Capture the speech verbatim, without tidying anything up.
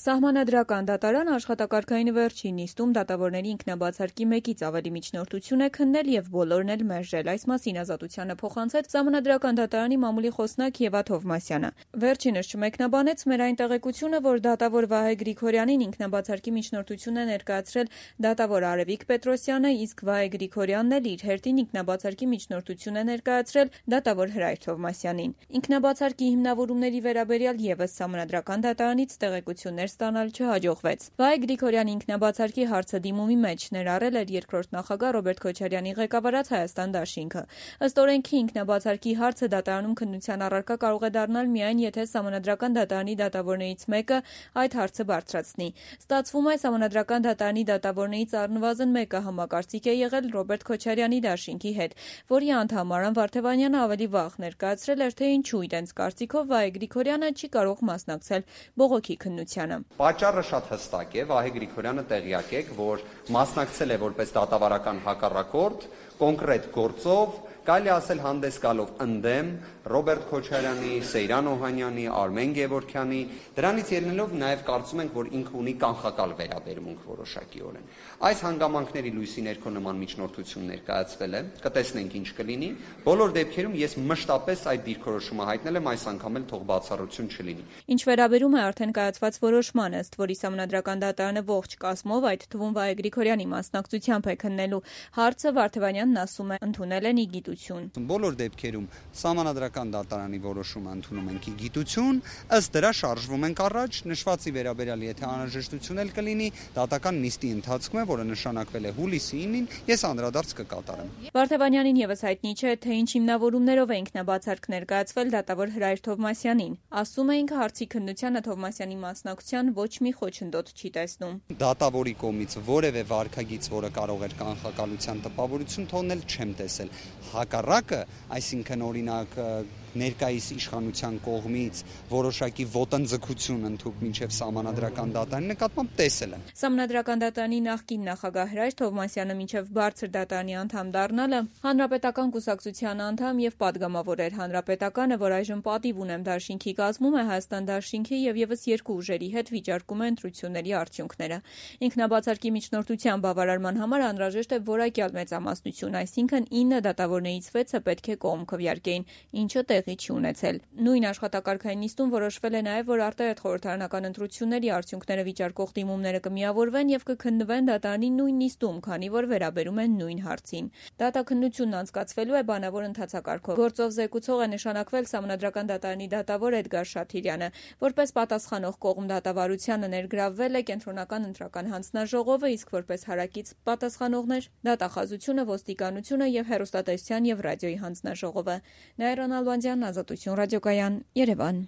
Սահմանադրական դատարանը աշխատակարգային վերջին նիստում դատավորների ինքնաբացարկի մեկից ավելի միջնորդություն է քննել եւ բոլորն էլ մերժել։ Այս մասին Ազատությանը փոխանցեց Սահմանադրական դատարանի մամուլի խոսնակ Եվա Թովմասյանը։ Վերջինս չմեկնաբանեց մեր այն տեղեկությունը, որ դատավոր Վահե Գրիգորյանին ինքնաբացարկի միջնորդություն է ներկայացրել դատավոր Արևիկ Պետրոսյանը, իսկ Վահե Գրիգորյանն էլ իր հերթին ինքնաբացարկի միջնորդություն է ներկայացրել դատավոր Հրայր Թովմասյանին։ Ինքնաբացարկի հիմնավորումների վերաբերյալ եւս Սահմանադրական դատարանից տեղեկություններ ստանալ չհաջողվեց։ Վահե Գրիգորյանի ինքնաբացարկի հարցը դիմումի մեջ ներառել էր երկրորդ նախագահ Ռոբերտ Քոչարյանի ղեկավարած Հայաստան դաշինքը։ Ըստ օրենքի ինքնաբացարկի հարցը դատարանում քննության առարկա կարող է դառնալ միայն եթե Սահմանադրական դատարանի դատավորներից մեկը այդ հարցը բարձրացնի։ Ստացվում է, Սահմանադրական դատարանի դատավորներից առնվազն մեկը համակարծիք է եղել Ռոբերտ Քոչարյանի դաշինքի հետ, որի անդամ Արամ Վարդևանյանը ավելի վաղ ներկայացրել էր, թե ինչու իրենց կարծիքով Վահե Գրիգորյանը չի կարող մասնակցել բողոքի քննությանը։ Պատճառը շատ հստակ է, Վահե Գրիգորյանը տեղյակ է, որ մասնակցել է որպես դատավարական հակառակորդ կոնկրետ գործով, կարելի ասել հանդես գալով ընդդեմ Ռոբերտ Քոչարյանի, Սեյրան Օհանյանի, Արմեն Գևորգյանի, դրանից ելնելով նաև կարծում ենք, որ ինքը ունի կանխակալ վերաբերմունք որոշակիորեն։ Այս հանգամանքների լույսի ներքո նման միջնորդություն ներկայացվել է, կտեսնենք ինչ կլինի։ Բոլոր դեպքերում ես մշտապես այդ դիրքորոշումը հայտնել եմ, այս անգամ էլ թող բացառություն չլինի։ Ինչ վերաբերում է արդեն կայացված որոշմանը, ըստ որի Սահմանադրական դատարանը ողջ կազմով, այդ թվում Վահե Գրիգորյանի մասնակցությամբ է քննելու հարցը, Վարդևանյանն ասում է, ընդունել են ի գիտություն։ Բոլոր դեպքերում Սահմանադրական դատարանի որոշումը ընդունում ենք ի գիտություն, ըստ դրա շարժվում ենք առաջ, նշվածի վերաբերյալ եթե անհրաժեշտություն էլ կլինի, դատական նիստի ընթացքում է, որը նշանակվել է հուլիսի ինին, ես անդրադարձ կկատարեմ։ Վարդևանյանին եւս հայտնի չէ, թե ինչ հիմնավորումներով է ինքնաբացարկ ներկայացվել դատավոր Հրայր Թովմասյանին։ Ասում է, ինքը հարցի քննությանը Թովմասյանի մասնակցության ոչ մի խոչընդոտ չի տեսնում։ Դատավորի կողմից որևէ վարքագիծ, որը կարող էր կանխակալության տպավորություն թողնել, չեմ տեսել։ Հակառակը, այսինքն օրինակ ներկայիս իշխանության կողմից որոշակի ոտնձգություն ընդհուպ մինչև Սահմանադրական դատարանի նկատմամբ տեսել եմ։ Սահմանադրական դատարանի նախկին նախագահ Հրայր Թովմասյանը մինչև բարձր դատարանի անդամ դառնալը Հանրապետական կուսակցության անդամ եւ падգամավոր էր։ Հանրապետականը, որ այժմ պատիվ ունեմ դաշինքի կազմում է, Հայաստան դաշինքի եւ եւս երկու ուժերի հետ վիճարկում է ընտրությունների արդյունքները։ Ինքնաբացարկի միջնորդության բավարարման համար անհրաժեշտ է որակյալ մեծամասնություն, այսինքն ինը դատավորներից վեցը պետք է կողմ քվեարկեին, ինչը տեղի չի ունեցել։ Նույն աշխատակարգային նիստում որոշվել է նաև, որ արտահերթ խորհրդարանական ընտրությունների արդյունքները վիճարկող դիմումները կմիավորվեն եւ կքննվեն դատարանի նույն նիստում, քանի որ վերաբերում են նույն հարցին։ Դատաքննությունն անցկացվելու է բանավոր ընթացակարգով։ Գործով զեկուցող է նշանակվել Սահմանադրական դատարանի դատավոր Էդգար Շաթիրյանը, որպես պատասխանող կողմ դատավարությանը ներգրավվել է Կենտրոնական ընտրական հանձնաժողովը, իսկ որպես հարակից պատասխանողներ դատախազությունը, ոստիկանությունը եւ հեռուստատեսության եւ ռադիոյի հանձնաժողովը։ Նայիրան Ալբանդյան, Ազատություն ռադիոկայան, Երևան։